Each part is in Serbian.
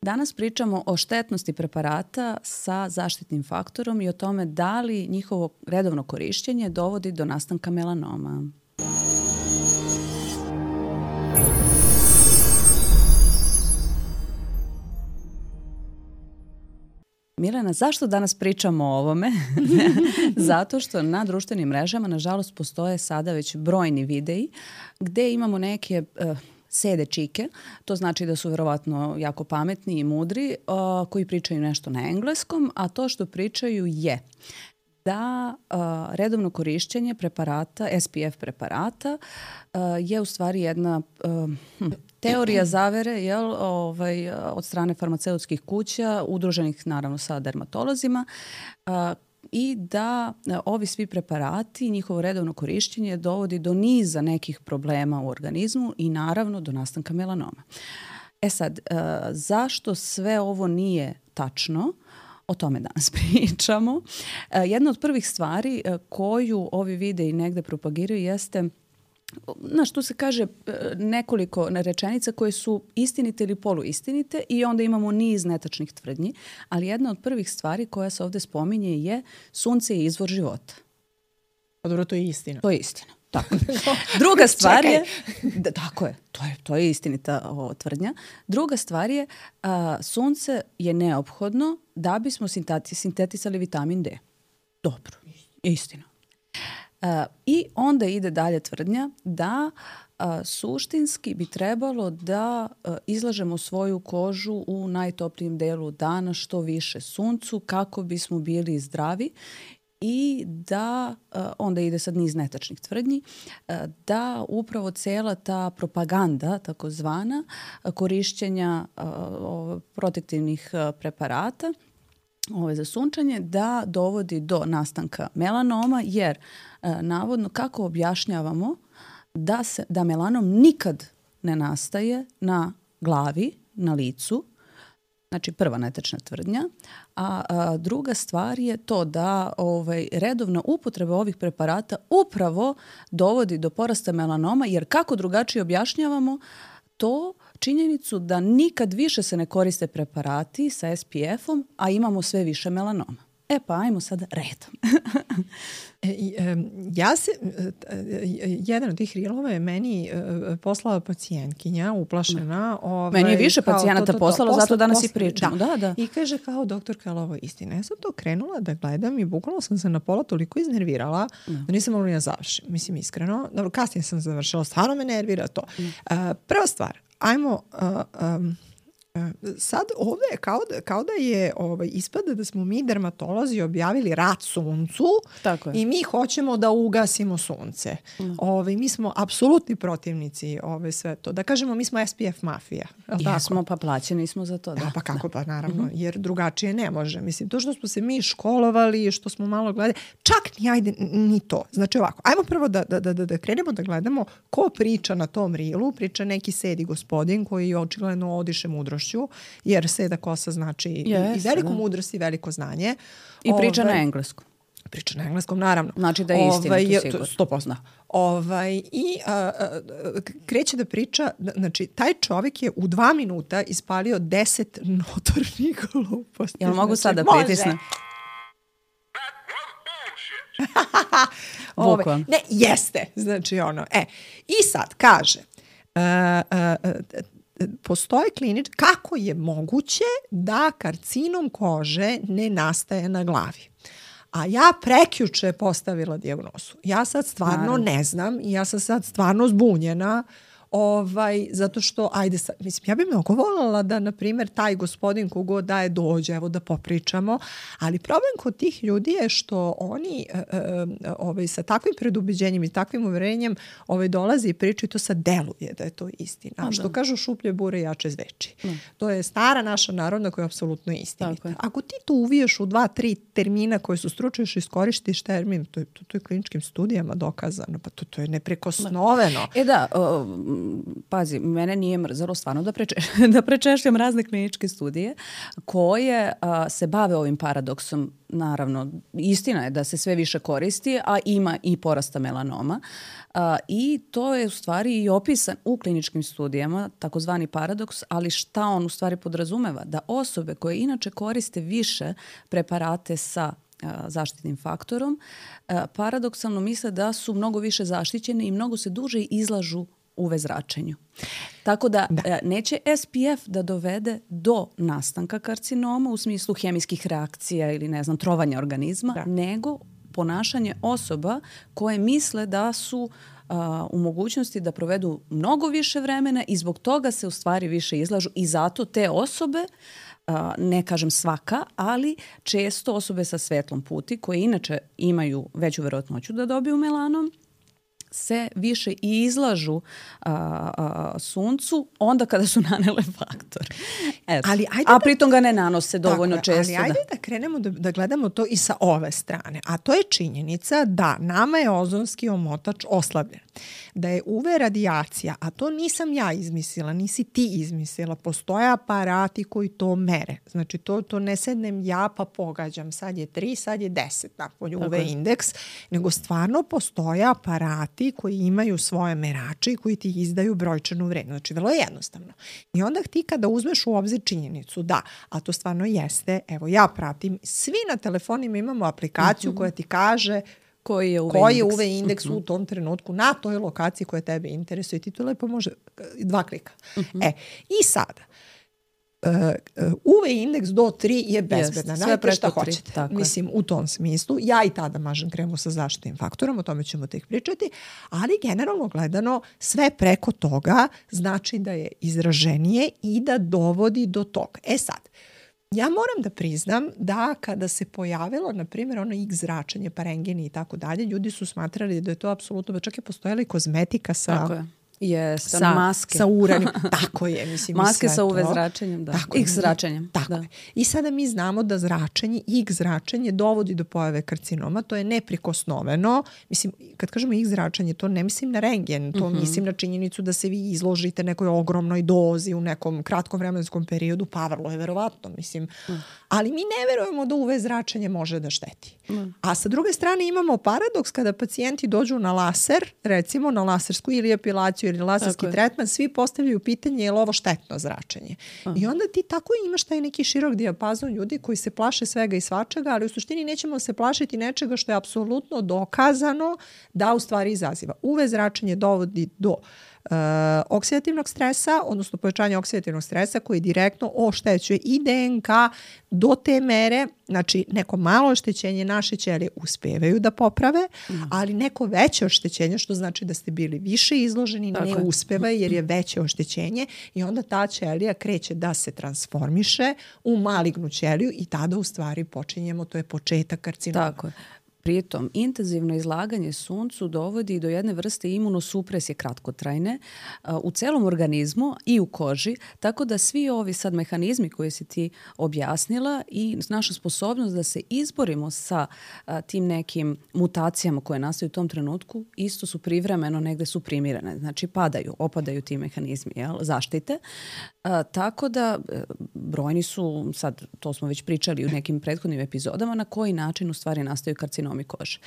Danas pričamo o štetnosti preparata sa zaštitnim faktorom i o tome da li njihovo redovno korišćenje dovodi do nastanka melanoma. Milena, zašto danas pričamo o ovome? Zato što na društvenim mrežama, nažalost, postoje sada već brojni videi gde imamo neke sede čike, to znači da su verovatno jako pametni i mudri, koji pričaju nešto na engleskom, a to što pričaju je da redovno korišćenje preparata, SPF preparata, je u stvari jedna teorija zavere od strane farmaceutskih kuća, udruženih naravno sa dermatolozima, i da ovi svi preparati, njihovo redovno korišćenje dovodi do niza nekih problema u organizmu i naravno do nastanka melanoma. E sad, zašto sve ovo nije tačno? O tome danas pričamo. Jedna od prvih stvari koju ovi videi negde propagiraju jeste, tu se kaže nekoliko rečenica koje su istinite ili poluistinite i onda imamo niz netačnih tvrdnji, ali jedna od prvih stvari koja se ovde spominje je sunce je izvor života. Pa dobro, to je istina. To je istina. Tako. Druga stvar je, tako je, to je istinita tvrdnja. Druga stvar je, sunce je neophodno da bismo sintetisali vitamin D. Dobro, istina. I onda ide dalje tvrdnja da suštinski bi trebalo da izlažemo svoju kožu u najtoplijem delu dana što više suncu kako bismo bili zdravi i da, onda ide sad niz netačnih tvrdnji, da upravo cela ta propaganda takozvana korišćenja protektivnih preparata za sunčanje da dovodi do nastanka melanoma, jer navodno kako objašnjavamo da melanom nikad ne nastaje na glavi, na licu, znači prva netačna tvrdnja, a druga stvar je to da redovna upotreba ovih preparata upravo dovodi do porasta melanoma, jer kako drugačije objašnjavamo to činjenicu da nikad više se ne koriste preparati sa SPF-om, a imamo sve više melanoma. E pa ajmo sad redom. Jedan od tih rilova je meni poslala pacijentkinja, uplašena. Meni je više pacijenata poslalo, zato danas i pričamo. Da. I kaže kao, doktorka, ali ovo je istina. Ja sam to krenula da gledam i bukvalno sam se na pola toliko iznervirala da nisam mogla ni da završim. Mislim, iskreno. Dobro, kasnije sam završila, stvarno me nervira to. Prva stvar, ajmo... sad ovde je kao da je ispada da smo mi dermatolozi objavili rat suncu i mi hoćemo da ugasimo sunce. Mi smo apsolutni protivnici sve to. Da kažemo, mi smo SPF mafija. Jesmo, pa plaćeni smo za to. Da, pa kako pa naravno, jer drugačije ne može. Mislim, to što smo se mi školovali, što smo malo gledali, čak ni to. Znači ovako, ajmo prvo da krenemo da gledamo ko priča na tom rilu. Priča neki sedi gospodin koji očigledno odiše mudrošću, jer seda kosa znači i veliku mudrost i veliko znanje. I priča na engleskom. Priča na engleskom, naravno. Znači da je istina, to sigurno. 100%. I kreće da priča, znači taj čovjek je u 2 minuta ispalio 10 notornih gluposti. Jel mogu sad da pritisnem? Ne, jeste. Znači i sad kaže... postoje kako je moguće da karcinom kože ne nastaje na glavi. A ja prekjuče postavila dijagnozu. Ja sad stvarno ne znam i ja sam sad stvarno zbunjena. Zato što, mislim, ja bih mnogo voljela da, na primjer, taj gospodin kogod daje dođe, evo da popričamo, ali problem kod tih ljudi je što oni sa takvim predubeđenjem i takvim uverenjem dolazi i pričaju, to sad deluje da je to istina. Što kažu, šuplje bure jače zveči. To je stara naša narodna koja je apsolutno istinita. Ako ti to uviješ u 2-3 termina koje su stručni, još iskoristiš termin, to je kliničkim studijama dokazano, pa to je neprekosnoveno. pazi, mene nije mrzelo stvarno da prečešljam razne kliničke studije koje se bave ovim paradoksom. Naravno, istina je da se sve više koristi, a ima i porasta melanoma. I to je u stvari i opisan u kliničkim studijama, takozvani paradoks, ali šta on u stvari podrazumeva? Da osobe koje inače koriste više preparate sa zaštitnim faktorom, paradoksalno misle da su mnogo više zaštićene i mnogo se duže izlažu UV zračenju. Tako da neće SPF da dovede do nastanka karcinoma u smislu hemijskih reakcija ili ne znam, trovanja organizma, nego ponašanje osoba koje misle da su u mogućnosti da provedu mnogo više vremena i zbog toga se u stvari više izlažu i zato te osobe, ne kažem svaka, ali često osobe sa svetlom puti koje inače imaju veću verovatnoću da dobiju melanom, se više i izlažu suncu onda kada su nanele faktor. A pritom ga ne nanose dovoljno često. Ali ajde da krenemo da gledamo to i sa ove strane. A to je činjenica da nama je ozonski omotač oslabljen. Da je UV radijacija, a to nisam ja izmislila, nisi ti izmislila, postoje aparati koji to mere. Znači to ne sednem ja pa pogađam, sad je 3, sad je 10 napolju UV indeks, nego stvarno postoje aparati koji imaju svoje merače i koji ti izdaju brojčanu vrednost. Znači vrlo je jednostavno. I onda ti kada uzmeš u obzir činjenicu da, a to stvarno jeste, evo ja pratim, svi na telefonima imamo aplikaciju koja ti kaže koji je UV indeks u tom trenutku na toj lokaciji koja tebe interesuje i ti to lepo može 2 klika. I sada UV indeks do 3 je bezbedna. Najte šta hoćete. Mislim, u tom smislu. Ja i tada mažem kremu sa zaštitnim faktorom, o tome ćemo tek pričati, ali generalno gledano sve preko toga znači da je izraženije i da dovodi do toga. Sad, ja moram da priznam da kada se pojavilo, na primjer, ono X zračenje, parengeni i tako dalje, ljudi su smatrali da je to apsolutno, čak je postojala i kozmetika sa maske. Sa uranijom. Tako je, mislim. Maske sa UV zračenjem, da. X zračenjem. Tako je. I sada mi znamo da zračenje, X zračenje dovodi do pojave karcinoma, to je neprikosnoveno. Mislim, kad kažemo X zračenje, to ne mislim na rentgen, to mislim na činjenicu da se vi izložite nekoj ogromnoj dozi u nekom kratkom vremenskom periodu, pa vrlo je verovatno, mislim. Ali mi ne verujemo da UV zračenje može da šteti. A sa druge strane imamo paradoks kada pacijenti dođu na laser, recimo na lasersku ili epilaciju ili laserski tretman, svi postavljaju pitanje je li ovo štetno zračenje. I onda ti tako imaš taj neki širok dijapazon ljudi koji se plaše svega i svačega, ali u suštini nećemo se plašiti nečega što je apsolutno dokazano da u stvari izaziva. UV zračenje dovodi do oksidativnog stresa, odnosno povećanja oksidativnog stresa koji direktno oštećuje i DNK do te mere, znači neko malo oštećenje naše ćelije uspevaju da poprave, ali neko veće oštećenje, što znači da ste bili više izloženi, ne uspeva jer je veće oštećenje i onda ta ćelija kreće da se transformiše u malignu ćeliju i tada u stvari počinjemo, to je početak karcinoma. Tako je. Pritom, intenzivno izlaganje suncu dovodi do jedne vrste imunosupresije kratkotrajne u celom organizmu i u koži, tako da svi ovi sad mehanizmi koje si ti objasnila i naša sposobnost da se izborimo sa tim nekim mutacijama koje nastaju u tom trenutku, isto su privremeno, negde su primirene. Znači opadaju ti mehanizmi zaštite. Tako da brojni su, sad to smo već pričali u nekim prethodnim epizodama, na koji način u stvari nastaju karcinomi kože.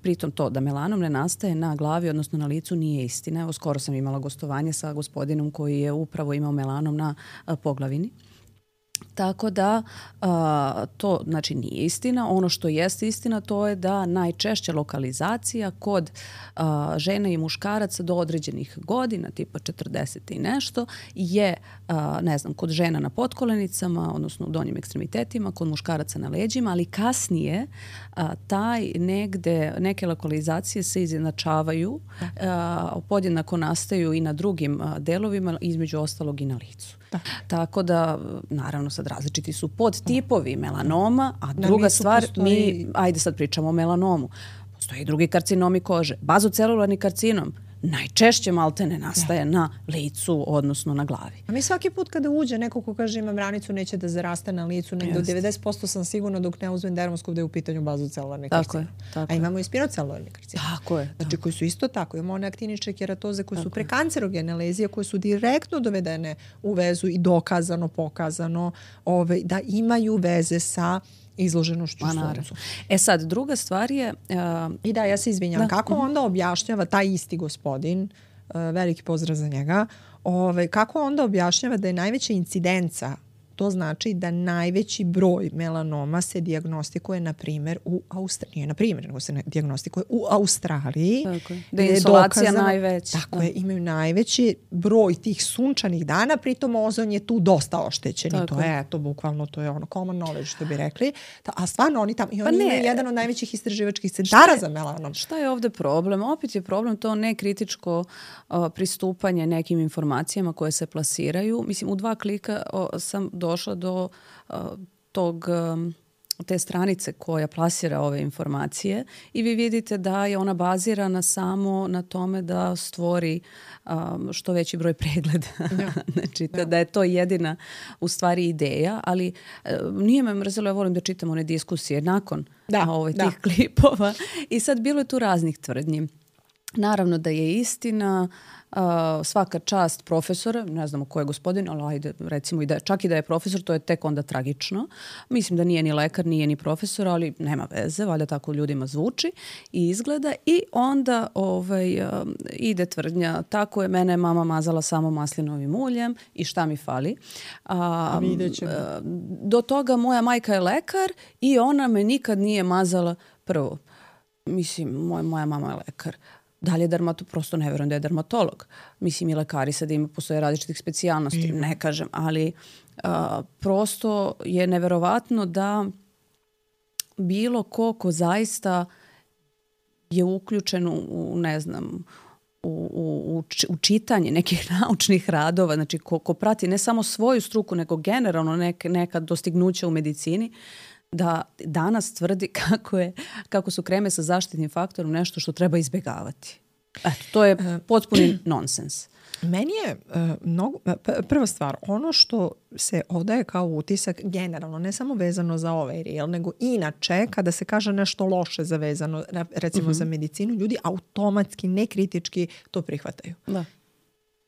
Pritom to da melanom ne nastaje na glavi, odnosno na licu, nije istina. Evo, skoro sam imala gostovanje sa gospodinom koji je upravo imao melanom na poglavini. Tako da to znači nije istina. Ono što jeste istina to je da najčešća lokalizacija kod žena i muškaraca do određenih godina, tipa 40 i nešto, je ne znam, kod žena na potkolenicama, odnosno u donjim ekstremitetima, kod muškaraca na leđima, ali kasnije neke lokalizacije se izjednačavaju, podjednako nastaju i na drugim delovima, između ostalog i na licu. Tako da, naravno, sad različiti su podtipovi melanoma, a druga stvar, ajde sad pričamo o melanomu. Postoje i drugi karcinomi kože. Bazocelularni karcinom najčešće maltene nastaje na licu, odnosno na glavi. A mi svaki put kada uđe neko ko kaže imam ranicu, neće da zaraste na licu, nego 90% sam sigurna dok ne uzmem dermoskop da je u pitanju bazocelularni karcinom. A imamo i spinocelularni karcinom. Tako je. Znači koji su isto tako. Imamo one aktinične keratoze koje su prekancerogene lezije, koje su direktno dovedene u vezu i dokazano, pokazano da imaju veze sa izloženošću suncu. Sad, druga stvar je... I da, ja se izvinjam. Kako onda objašnjava taj isti gospodin, veliki pozdrav za njega, kako onda objašnjava da je najveća incidenca, to znači da najveći broj melanoma se dijagnostikuje, na primjer, u Australiji. Nije na primjer, nego se dijagnostikuje u Australiji. Tako je. Da je insolacija najveća. Tako je, imaju najveći broj tih sunčanih dana, pritom ozon je tu dosta oštećen. I to je, bukvalno, to je ono common knowledge, što bi rekli. A stvarno oni tamo, i oni imaju jedan od najvećih istraživačkih centara za melanom. Šta je ovdje problem? Opet je problem to nekritičko pristupanje nekim informacijama koje se plasiraju. Mislim, u 2 klika sam došla do te stranice koja plasira ove informacije i vi vidite da je ona bazirana samo na tome da stvori što veći broj pregleda. Znači, da je to jedina u stvari ideja, ali nije me mrzelo, ja volim da čitam one diskusije nakon tih klipova i sad bilo je tu raznih tvrdnji. Naravno da je istina, svaka čast profesora, ne znamo ko je gospodin, ali ajde, recimo čak i da je profesor, to je tek onda tragično. Mislim da nije ni lekar, nije ni profesor, ali nema veze, valjda tako ljudima zvuči i izgleda. I onda ide tvrdnja, tako je, mene mama mazala samo maslinovim uljem i šta mi fali. Do toga moja majka je lekar i ona me nikad nije mazala prvo. Mislim, moja mama je lekar. Da li je prosto ne vjerujem da je dermatolog. Mislim i lekari sad postoje različitih specijalnosti, ne kažem, ali prosto je neverovatno da bilo ko zaista je uključen u ne znam, u čitanje nekih naučnih radova, znači ko prati ne samo svoju struku, nego generalno neka dostignuća u medicini, da danas tvrdi kako su kreme sa zaštitnim faktorom nešto što treba izbjegavati. To je potpuni nonsens. Meni je prva stvar, ono što se odaje kao utisak generalno, ne samo vezano za ovaj reel, nego inače kada se kaže nešto loše zavezano, recimo za medicinu, ljudi automatski, nekritički to prihvataju. Da.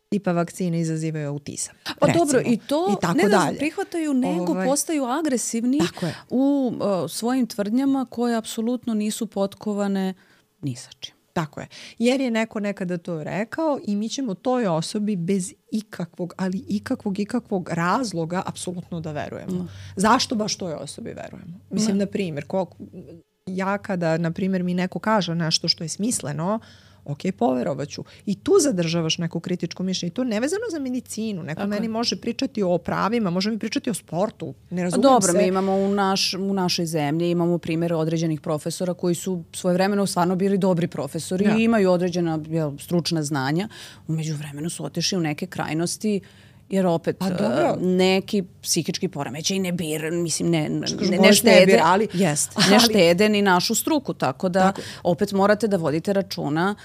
Tipa vakcine izazivaju autizam. Pa dobro, i to ne da prihvataju, nego postaju agresivni u svojim tvrdnjama koje apsolutno nisu potkovane ni sa čim. Tako je. Jer je neko nekada to rekao i mi ćemo toj osobi bez ikakvog razloga apsolutno da verujemo. Zašto baš toj osobi verujemo? Mislim, na primjer, ja kada, na primjer, mi neko kaže nešto što je smisleno, ok, poverovaću. I tu zadržavaš neko kritičko mišljenje. I to nevezano za medicinu. Neko meni može pričati o pravima, može mi pričati o sportu. Ne razumijem Dobro, mi imamo u našoj zemlji, imamo primjer određenih profesora koji su svojevremeno stvarno bili dobri profesori i imaju određena stručna znanja. U međuvremenu su otišli u neke krajnosti jer opet neki psihički poremećaj ne štede, ne štede ni našu struku, tako da opet morate da vodite računa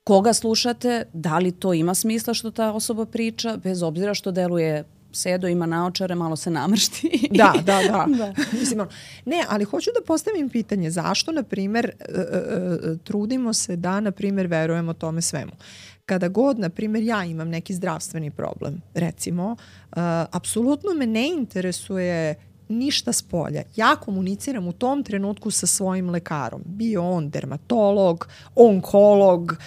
koga slušate, da li to ima smisla što ta osoba priča, bez obzira što deluje sedo, ima naočare, malo se namršti. Da. Mislim, ne, ali hoću da postavim pitanje zašto, na primjer, trudimo se da, na primjer, verujemo tome svemu. Kada god, na primjer, ja imam neki zdravstveni problem, recimo, apsolutno me ne interesuje ništa s polja. Ja komuniciram u tom trenutku sa svojim lekarom. Bio on dermatolog, onkolog,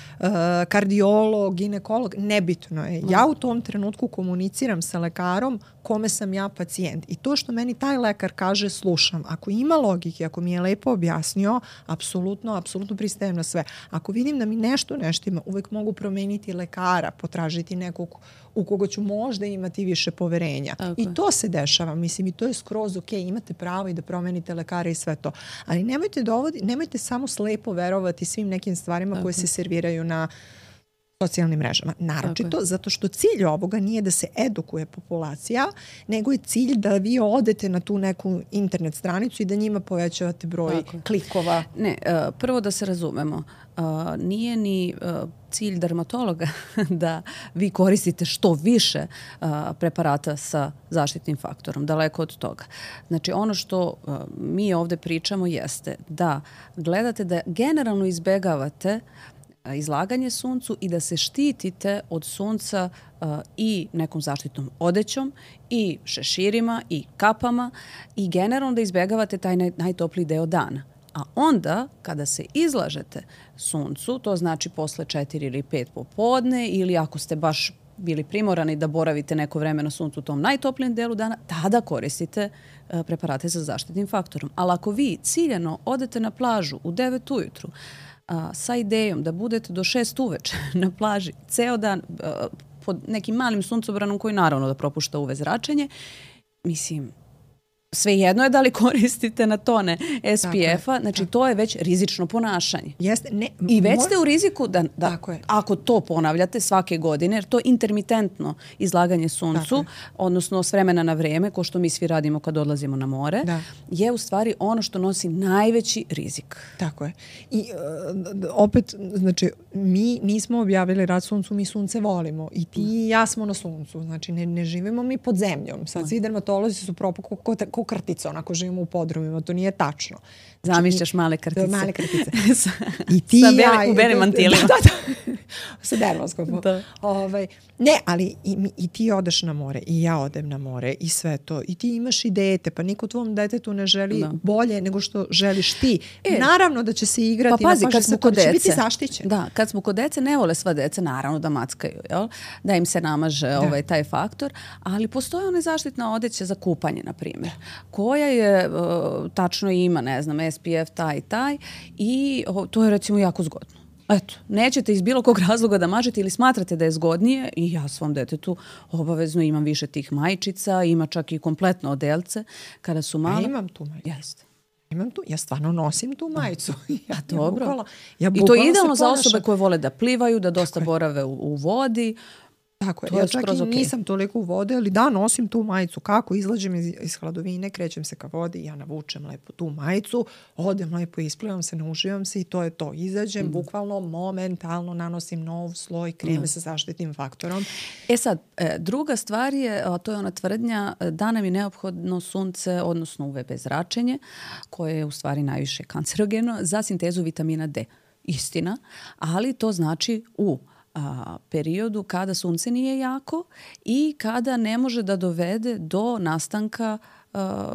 kardiolog, ginekolog, nebitno je. Ja u tom trenutku komuniciram sa lekarom kome sam ja pacijent. I to što meni taj lekar kaže, slušam. Ako ima logike, ako mi je lepo objasnio, apsolutno pristajem na sve. Ako vidim da mi nešto ima, uvek mogu promeniti lekara, potražiti nekog u koga ću možda imati više poverenja. I to se dešava. Mislim, i to je skroz ok, imate pravo i da promenite lekara i sve to. Ali nemojte samo slepo verovati svim nekim stvarima koje se serviraju na socijalnim mrežama. Naročito zato što cilj ovoga nije da se edukuje populacija, nego je cilj da vi odete na tu neku internet stranicu i da njima povećavate broj klikova. Ne, prvo da se razumemo, nije ni cilj dermatologa da vi koristite što više preparata sa zaštitnim faktorom, daleko od toga. Znači, ono što mi ovde pričamo jeste da gledate da generalno izbegavate izlaganje suncu i da se štitite od sunca i nekom zaštitnom odećom i šeširima i kapama i generalno da izbegavate taj najtopliji deo dana. A onda, kada se izlažete suncu, to znači posle 4 ili 5 popodne ili ako ste baš bili primorani da boravite neko vreme na suncu u tom najtoplijem delu dana, tada koristite preparate sa zaštitnim faktorom. Ali ako vi ciljano odete na plažu u 9 ujutru sa idejom da budete do 6 uveče na plaži ceo dan pod nekim malim suncobranom koji naravno da propušta UV zračenje, mislim, svejedno je da li koristite na tone SPF-a, znači to je već rizično ponašanje. I već ste u riziku da ako to ponavljate svake godine, jer to je intermitentno izlaganje suncu, odnosno s vremena na vreme, ko što mi svi radimo kad odlazimo na more, je u stvari ono što nosi najveći rizik. Tako je. I opet, znači, mi nismo objavili rat suncu, mi sunce volimo. I ti i ja smo na suncu. Znači, ne živimo mi pod zemljom. Sad svi dermatolozi su propako ko krtice, onako živimo u podrumima, to nije tačno. Znači, zamišljaš male krtice. Male krtice. I ti i ja. U belim mantilima. Sa dermoskopom. Ne, ali i ti odeš na more, i ja odem na more, i sve to. I ti imaš i dete, pa niko tvom detetu ne želi bolje nego što želiš ti. Naravno da će se igrati. Pa pazi, kad smo kod dece. Biti zaštićen. Da, kad smo kod dece, ne vole sva deca, naravno da mackaju, jel? Da im se namaže taj faktor, ali postoje one zaštitna odeća za kupanje, na primjer, koja je, tačno ima, ne znam, SPF taj i to je recimo jako zgodno. Eto, nećete iz bilo kog razloga da mažete ili smatrate da je zgodnije i ja svom detetu obavezno imam više tih majčica, ima čak i kompletno odelce kada su male. Ja imam tu majicu. Jeste. Ja stvarno nosim tu majicu. Dobro. I to je idealno za osobe koje vole da plivaju, da dosta borave u vodi. Tako je, ja čak i nisam toliko u vode, ali da, nosim tu majicu. Kako? Izlađem iz hladovine, krećem se ka vodi, ja navučem lepo tu majicu, odem lepo, isplivam se, nauživam se i to je to. Izađem, bukvalno, momentalno nanosim nov sloj kreme sa zaštitnim faktorom. Sad, druga stvar je, a to je ona tvrdnja da nam je neophodno sunce, odnosno UVB zračenje, koje je u stvari najviše kancerogeno, za sintezu vitamina D. Istina, ali to znači u periodu kada sunce nije jako i kada ne može da dovede do nastanka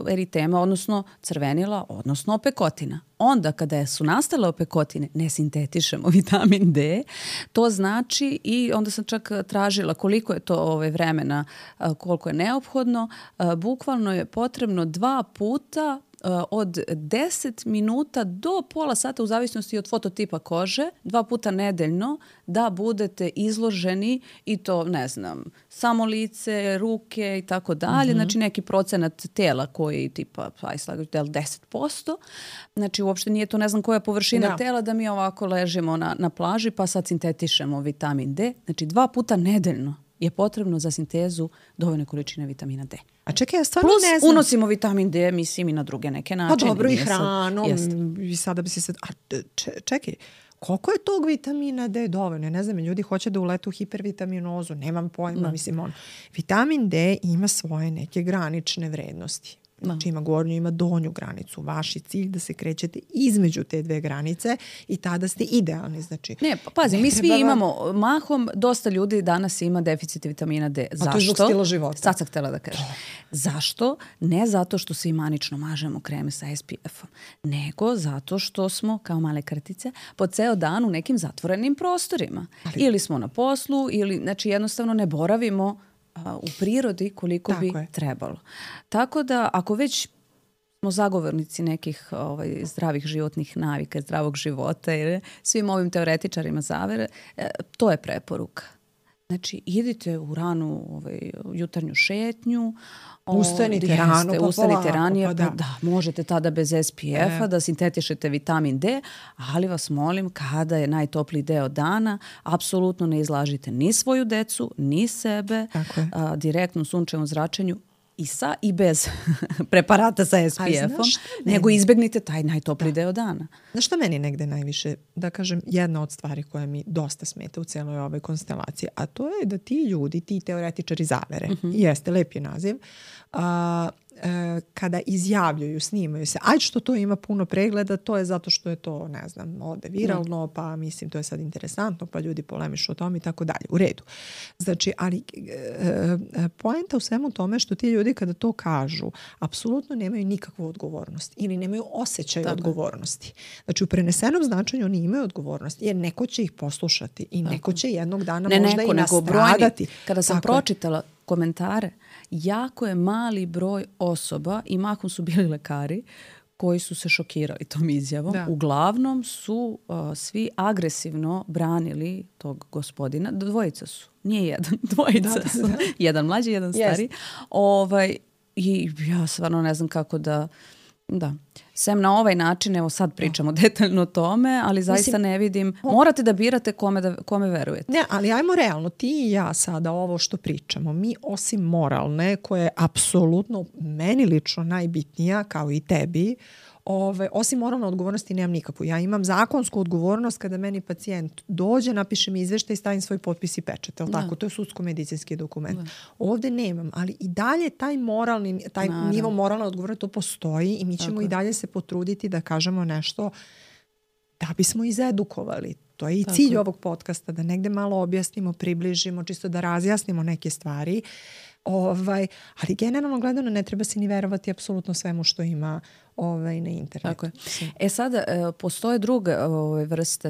eritema, odnosno crvenila, odnosno opekotina. Onda kada su nastale opekotine, ne sintetišemo vitamin D, to znači, i onda sam čak tražila koliko je to vremena, koliko je neophodno, bukvalno je potrebno 2 puta od 10 minuta do pola sata u zavisnosti od fototipa kože, 2 puta nedeljno da budete izloženi i to, ne znam, samo lice, ruke i tako dalje, znači neki procenat tela koji je tipa 10%, znači uopšte nije to ne znam koja površina tela da mi ovako ležimo na plaži pa sad sintetišemo vitamin D, znači 2 puta nedeljno je potrebno za sintezu dovoljne količine vitamina D. A čekaj, ja stvarno ne znam. Plus unosimo vitamin D, mislim, i na druge neke načine. Pa dobro, i hranom. I sada bi se sad... Čekaj, koliko je tog vitamina D dovoljno? Ne znam, ljudi hoće da uletu u hipervitaminozu, nemam pojma, mislim, vitamin D ima svoje neke granične vrednosti. Znači ima gornju, ima donju granicu. Vaš je cilj da se krećete između te dve granice i tada ste idealni. Znači, ne, pa pazi, mi svi imamo mahom, dosta ljudi danas ima deficit vitamina D. Zašto? A to je zbog stila života. Sad sam htjela da kažem. Zašto? Ne zato što se imanično mažemo kreme sa SPF-om, nego zato što smo, kao male krtice, po ceo dan u nekim zatvorenim prostorima. Ili smo na poslu, ili znači jednostavno ne boravimo u prirodi koliko bi trebalo. Tako da ako već smo zagovornici nekih zdravih životnih navika, zdravog života, jer svim ovim teoretičarima zavere, to je preporuka. Znači, idite u ranu jutarnju šetnju. Ustanite rano, pa ustanite ranije, pa da. Možete tada bez SPF-a da sintetišete vitamin D, ali vas molim, kada je najtopliji deo dana, apsolutno ne izlažite ni svoju decu, ni sebe, direktnom sunčevom zračenju, i sa i bez preparata sa SPF-om, nego izbegnite taj najtopliji deo dana. Znaš šta meni negde najviše, da kažem, jedna od stvari koja mi dosta smeta u cijeloj ovoj konstelaciji, a to je da ti ljudi, ti teoretičari zavere, jeste, lep je naziv, kada izjavljuju, snimaju se, ajde što to ima puno pregleda, to je zato što je to, ne znam, ode viralno, pa mislim to je sad interesantno, pa ljudi polemišu o tom i tako dalje. U redu. Znači, ali poenta u svemu tome što ti ljudi kada to kažu, apsolutno nemaju nikakvu odgovornost ili nemaju osjećaj odgovornosti. Znači, u prenesenom značenju oni imaju odgovornost, jer neko će ih poslušati i neko će jednog dana možda i nastradati. Kada sam pročitala komentare, jako je mali broj osoba, i mahom su bili lekari, koji su se šokirali tom izjavom. Uglavnom su svi agresivno branili tog gospodina. Dvojica su. Nije jedan. Dvojica su. Jedan mlađi, jedan stari. I ja stvarno ne znam kako da... Sem na ovaj način, evo sad pričamo detaljno o tome, ali zaista ne vidim, morate da birate kome verujete. Ne, ali ajmo realno, ti i ja sada ovo što pričamo, mi osim moralne, koja je apsolutno meni lično najbitnija, kao i tebi, osim moralne odgovornosti nemam nikakvu. Ja imam zakonsku odgovornost kada meni pacijent dođe, napiše mi izveštaj i stavim svoj potpis i pečat. Tako? To je sudsko-medicinski dokument. Ovdje nemam, ali i dalje taj moralni, taj nivo moralne odgovornosti to postoji i mi ćemo i dalje se potruditi da kažemo nešto da bismo izedukovali. To je i cilj ovog podcasta, da negde malo objasnimo, približimo, čisto da razjasnimo neke stvari. Ali generalno gledano ne treba se ni verovati apsolutno svemu što ima na internetu. Tako je. Sada postoje druge vrste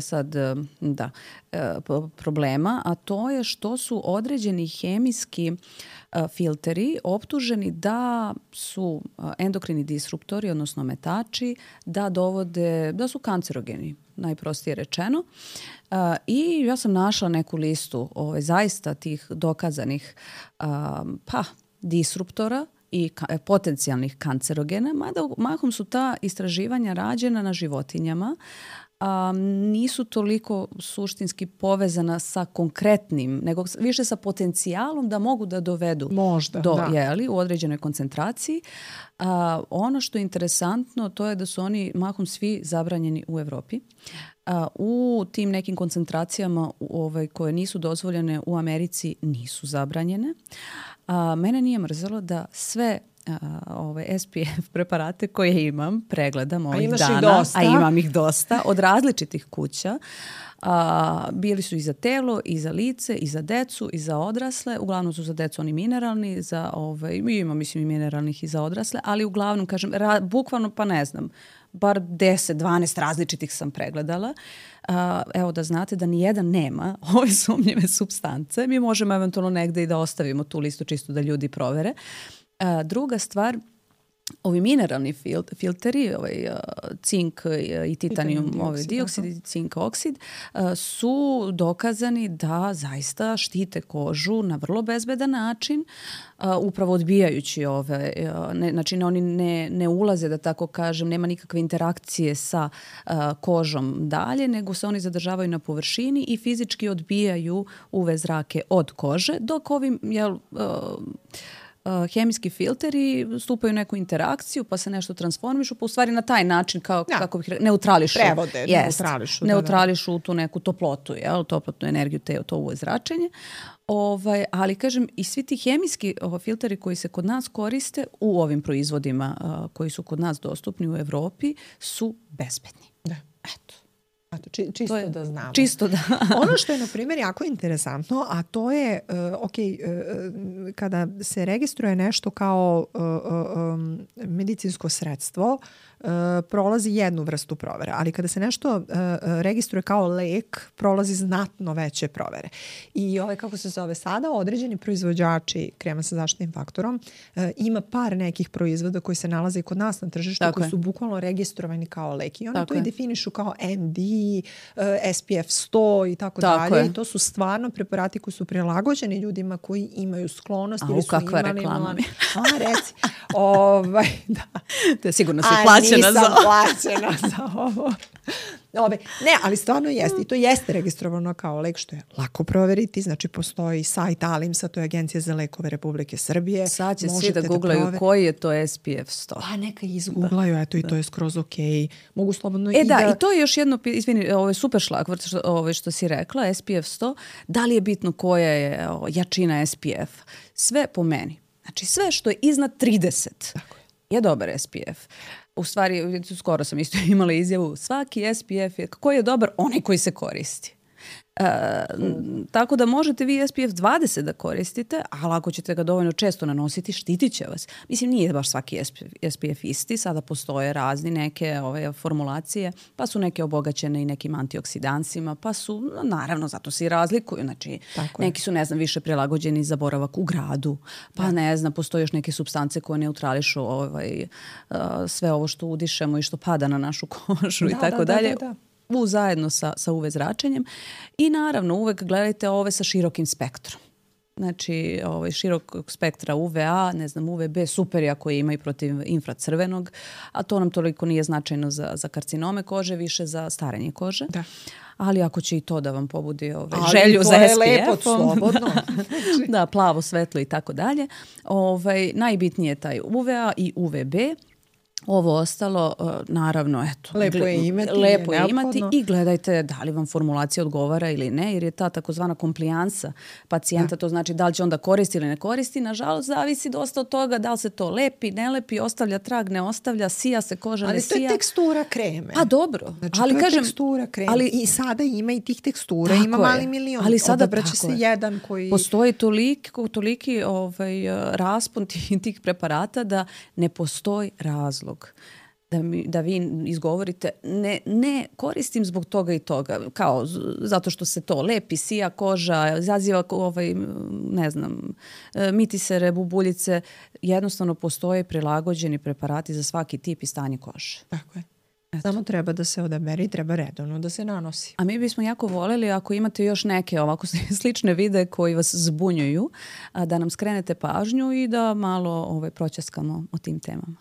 problema, a to je što su određeni hemijski filteri optuženi da su endokrini disruptori, odnosno metači, da su kancerogeni, najprostije rečeno. I ja sam našla neku listu zaista tih dokazanih disruptora i potencijalnih kancerogena, mada mahom su ta istraživanja rađena na životinjama, nisu toliko suštinski povezana sa konkretnim, nego više sa potencijalom da mogu da dovedu u određenoj koncentraciji. Ono što je interesantno, to je da su oni mahom svi zabranjeni u Evropi. U tim nekim koncentracijama koje nisu dozvoljene u Americi nisu zabranjene. Mene nije mrzelo da sve SPF preparate koje imam pregledam ovih dana, a imam ih dosta, od različitih kuća. Bili su i za telo, i za lice, i za decu, i za odrasle. Uglavnom su za decu oni mineralni, imam mislim i mineralnih i za odrasle, ali uglavnom, kažem, bukvalno pa ne znam, bar 10-12 različitih sam pregledala. Evo da znate da nijedan nema ove sumnjive supstance. Mi možemo eventualno negde i da ostavimo tu listu čisto da ljudi provere. Druga stvar, ovi mineralni filteri, cink i titanijum dioksid i cink oksid, su dokazani da zaista štite kožu na vrlo bezbedan način, upravo odbijajući znači oni ne ulaze, da tako kažem, nema nikakve interakcije sa kožom dalje, nego se oni zadržavaju na površini i fizički odbijaju UV zrake od kože, dok ovim hemijski filteri stupaju u neku interakciju, pa se nešto transformišu, pa u stvari na taj način kako bih neutrališu. Prevode, neutrališu tu neku toplotu, toplotnu energiju, to UV zračenje. Ali kažem, i svi ti hemijski filteri koji se kod nas koriste u ovim proizvodima koji su kod nas dostupni u Evropi su bezbedni. Da. Čisto da znamo. Čisto da. Ono što je, na primjer, jako interesantno, a to je, kada se registruje nešto kao medicinsko sredstvo, prolazi jednu vrstu provere, ali kada se nešto registruje kao lek, prolazi znatno veće provere. I kako se zove sada, određeni proizvođači krema sa zaštitnim faktorom, ima par nekih proizvoda koji se nalaze i kod nas na tržištu, koji su bukvalno registrovani kao lek. I oni to i definišu kao MD, SPF 100 i tako dalje. I to su stvarno preparati koji su prilagođeni ljudima koji imaju sklonost ili su kakva imali... reklama. Reci. Da. To je sigurno si plaćena za ovo. Nisam plaćena za ovo. Ne, ali stvarno jeste. I to jeste registrovano kao lek, što je lako proveriti. Znači, postoji sajt ALIMS-a, to je Agencija za lekove Republike Srbije. Sad će svi da googlaju koji je to SPF 100. Pa neka izgooglaju, eto, i to je skroz okej. Mogu slobodno i to je još jedno, izvini, ovo je super šlagvort što si rekla, SPF 100. Da li je bitno koja je jačina SPF? Sve po meni. Znači, sve što je iznad 30 je dobar SPF. U stvari, skoro sam isto imala izjavu, svaki SPF je, koji je dobar, onaj koji se koristi. Tako da možete vi SPF 20 da koristite, ali ako ćete ga dovoljno često nanositi, štitit će vas. Mislim, nije baš svaki SPF isti, sada postoje razni neke formulacije, pa su neke obogaćene i nekim antioksidansima, pa su, naravno, zato se i razlikuju. Znači, neki su, ne znam, više prilagođeni za boravak u gradu, pa ne znam, postoje još neke supstance koje neutrališu sve ovo što udišemo i što pada na našu kožu i tako dalje. Zajedno sa UV zračenjem i naravno uvek gledajte ove sa širokim spektrom. Znači, širokog spektra UVA, ne znam, UVB, super je ako ima i protiv infracrvenog, a to nam toliko nije značajno za karcinome kože, više za starenje kože. Da. Ali ako će i to da vam pobudi želju za SPF. Ali to je lepo, slobodno. Da, plavo, svetlo i tako dalje. Najbitnije je taj UVA i UVB. Ovo ostalo, naravno, eto. Lepo je imati i gledajte da li vam formulacija odgovara ili ne, jer je ta takozvana komplijansa pacijenta, to znači da li će onda koristi ili ne koristi, nažalost zavisi dosta od toga da li se to lepi, ne lepi, ostavlja trag, ne ostavlja, sija se koža, ne sija. Ali to je tekstura kreme. Pa dobro. Znači, ali to je tekstura kreme. I sada ima i tih tekstura, ima mali milion. Ali sada odabraće se jedan koji... Postoji toliki raspon tih preparata da ne postoji razlog da vi izgovorite ne koristim zbog toga i toga, kao zato što se to lepi, sija koža, izaziva ne znam, mitisere, bubuljice. Jednostavno postoje prilagođeni preparati za svaki tip i stanje kože. Tako je. Samo treba da se odabere i treba redovno da se nanosi. A mi bismo jako voljeli ako imate još neke ovako slične videe koji vas zbunjuju, da nam skrenete pažnju i da malo proćaskamo o tim temama.